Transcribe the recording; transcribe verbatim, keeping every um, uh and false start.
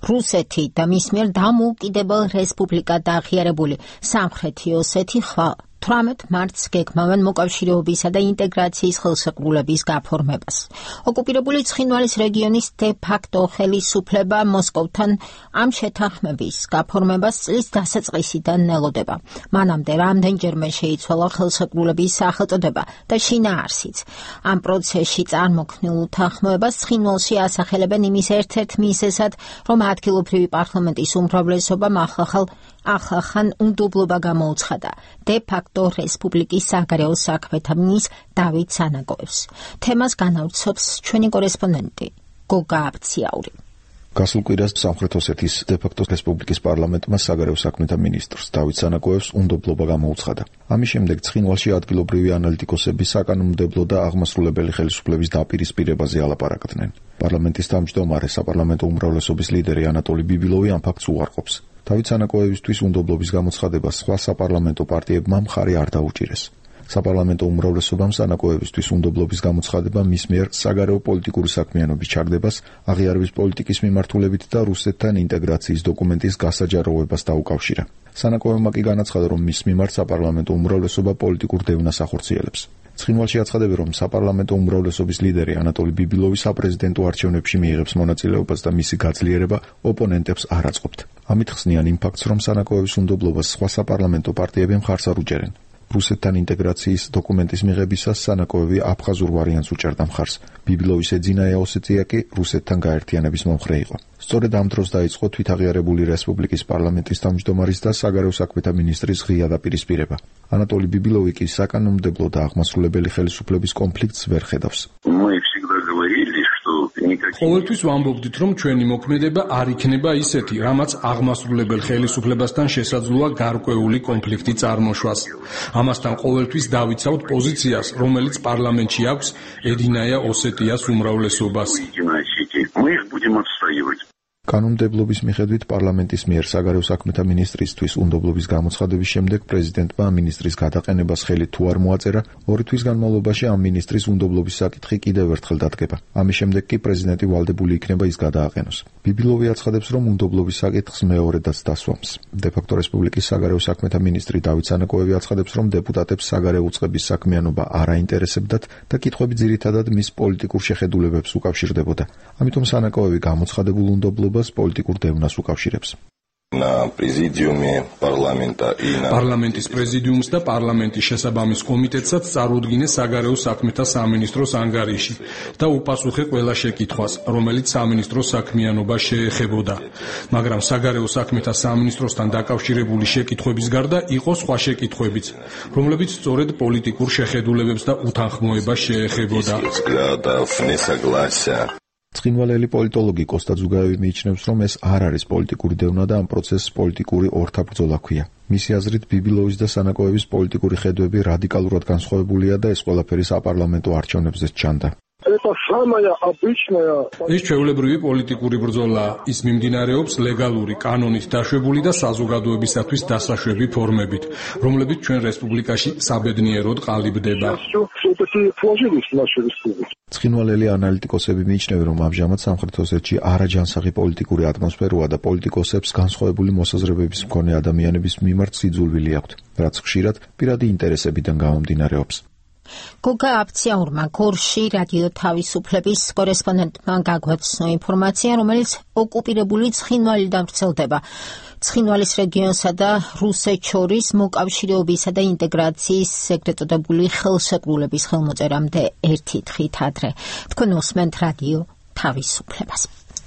რუსეთი და მის მიერ დამოუკიდებელ რესპუბლიკად აღიარებული სამხრეთი ოსეთი ხვალ თვრამეტ მარტს გეგმავენ მოკავშირეობისა და ინტეგრაციის ხელშეკრულების გაფორმებას. ოკუპირებული ცხინვალის რეგიონის დე-ფაქტო ხელისუფლება მოსკოვთან ამ შეთანხმების გაფორმებას წლის დასაწყისიდან ელოდება. მანამდე რამდენჯერმე შეიცვალა ხელშეკრულების სახელწოდება და შინაარსიც. ამ პროცესში წარმოქმნილ უთანხმოებას ცხინვალში ასახელებენ იმის ერთ-ერთ მიზეზად, რომ ადგილობრივი პარლამენტის უმრავლესობამ ახლახან ახლახან უნდობლობა გამოუცხადა დე-ფაქტო რესპუბლიკის საგარეო საქმეთა მინისტრ დავით სანაკოევს. თემას განავრცობს ჩვენი კორესპონდენტი გოგა აბციაური. გასულ კვირას სამხრეთ ოსეთის დე-ფაქტო რესპუბლიკის პარლამენტმა საგარეო საქმეთა მინისტრს დავით სანაკოევს უნდობლობა გამოუცხადა. ამის შემდეგ ცხინვალში ადგილობრივი ანალიტიკოსები საკანონმდებლო და აღმასრულებელი ხელისუფლების დაპირისპირებაზე ალაპარაკდნენ. პარლამენტის თავმჯდომარე საპარლამენტო უმრავლესობის ლიდერი ანატოლი ბიბილოვი ამ ფაქტს უარყოფს. დავით სანაკოევისთვის უნდობლობის გამოცხადებას სხვა საპარლამენტო პარტიებმა მხარი არ დაუჭირეს. საპარლამენტო უმრავლესობამ სანაკოევისთვის უნდობლობის გამოცხადება მის მიერ საგარეო პოლიტიკური საქმიანობის ჩაგდებას, აღიარების პოლიტიკის მიმართულებით და რუსეთთან ინტეგრაციის დოკუმენტის გასაჯაროვებას დაუკავშირა. სანაკოევმა კი განაცხადა, რომ მის მიმართ საპარლამენტო უმრავლესობა პოლიტიკურ დევნას ახორციელებს. ცხინვალში აცხადები, რომ საპარლამენტო უმრავლესობის ლიდერი ანატოლი ბიბილოვი საპრეზიდენტო არჩევნებში მიიღებს მონაწილეობას და მისი გაძლიერება ოპონენტებს არ აწყობთ. ამით ხსნიან იმ ფაქტს, რომ სანაკოევის უნდობლობას სხვა საპარლამენტო პარტიები მხარს არ უჭერენ. რუსეთთან ინტეგრაციის დოკუმენტის მიღებისას სანაკოევი აფხაზურ ვარიანტს უჭერდა მხარს. ბიბილოვის ეძინაია ოსეთია კი რუსეთთან გაერთიანების მომხრე იყო. სწორედ ამ დროს დაიწყო თვითაღიარებული რესპუბლიკის პარლამენტის თავმჯდომარის და საგარეო საქმეთა მინისტრის ღია დაპირისპირება. ანატოლი ბიბილოვი კი საკანონმდებლო და აღმასრულებელი ხელისუფლების კონფლიქტს ვერ ხედავს. ყოველთვის ვამბობდით, რომ ჩვენი მოქმედება არ იქნება ისეთი, რამაც აღმასრულებელ ხელისუფლებასთან შესაძლოა გარკვეული კონფლიქტი წარმოშვას. ამასთან ყოველთვის დავიცავთ პოზიციას, რომელიც პარლამენტში აქვს ედინაია ოსეტიას უმრავლესობას. კანონმდებლობის მიხედვით პარლამენტის მიერ საგარეო საქმეთა მინისტრისთვის უნდობლობის გამოცხადების შემდეგ პრეზიდენტმა მინისტრის გადაყენებას ხელი თუ არ მოაწერა, ორი თვის განმავლობაში ამ მინისტრის უნდობლობის საკითხი კიდევ ერთხელ დადგება. ამის შემდეგ კი პრეზიდენტი ვალდებული იქნება ის გადააყენოს. ბიბილოვი აცხადებს, რომ უნდობლობის საკითხს მეორედაც დასვამს. დე-ფაქტო რესპუბლიკის საგარეო საქმეთა მინისტრი დავით სანაკოევი აცხადებს, რომ დეპუტატებს საგარეო უწყების საქმიანობა არ აინტერესებდათ და კითხვები ძირითადად მის პოლიტიკურ შეხედულებებს უკავშირდებოდა. ამიტომ სანაკოევი გამოცხადებულ უნდობლობას პოლიტიკურ დევნას უკავშირებს. პარლამენტის პრეზიდიუმს და პარლამენტის შესაბამის კომიტეტსაც წარუდგინეს საგარეო საქმეთა სამინისტროს ანგარიში და უპასუხე ყველა შეკითხვას, რომელიც სამინისტროს საქმიანობას შეეხებოდა. მაგრამ საგარეო საქმეთა სამინისტროსთან დაკავშირებული შეკითხვების გარდა იყო სხვა შეკითხვებიც, რომლებიც სწორედ პოლიტიკურ შეხედულებებს და უთანხმოებას შეეხებოდა. ცხინვალელი პოლიტოლოგი კოსტა ძუგაევი მიიჩნევს, რომ ეს არ არის პოლიტიკური დევნა და ამ პროცესს პოლიტიკური ორთაბრძოლა ჰქვია. მისი აზრით, ბიბილოვის და სანაკოევის პოლიტიკური ხედვები რადიკალურად განსხვავებულია და ეს ყველაფერი საპარლამენტო არჩევნებზეც ჩანდა. ეს ჩვეულებრივი პოლიტიკური ბრძოლაა. ის მიმდინარეობს ლეგალური, კანონით დაშვებული და საზოგადოებისათვის დასაშვები ფორმებით, რომლებიც ჩვენ რესპუბლიკაში საბედნიეროდ ყალიბდება. ცხინვალელი ანალიტიკოსები მიიჩნევენ, რომ ამჟამად სამხრეთ ოსეთში არაჯანსაღი პოლიტიკური ატმოსფეროა და პოლიტიკოსებს განსხვავებული მოსაზრებების მქონე ადამიანების მიმართ სიძულვილი აქვთ, რაც ხშირად პირადი ინტერესებიდან გამომდინარეობს. გოგა აბციაურმა გორში რადიო თავისუფლების კორესპონდენტმა გაგვაცნო ინფორმაცია, რომელიც ოკუპირებული ცხინვალიდან ვრცელდება. ცხინვალის რეგიონსა და რუსეთს შორის მოკავშირეობისა და ინტეგრაციის ეგრეთ წოდებული ხელშეკრულების ხელმოწერამდე ერთი დღით ადრე. თქვენ უსმენთ რადიო თავისუფლებას.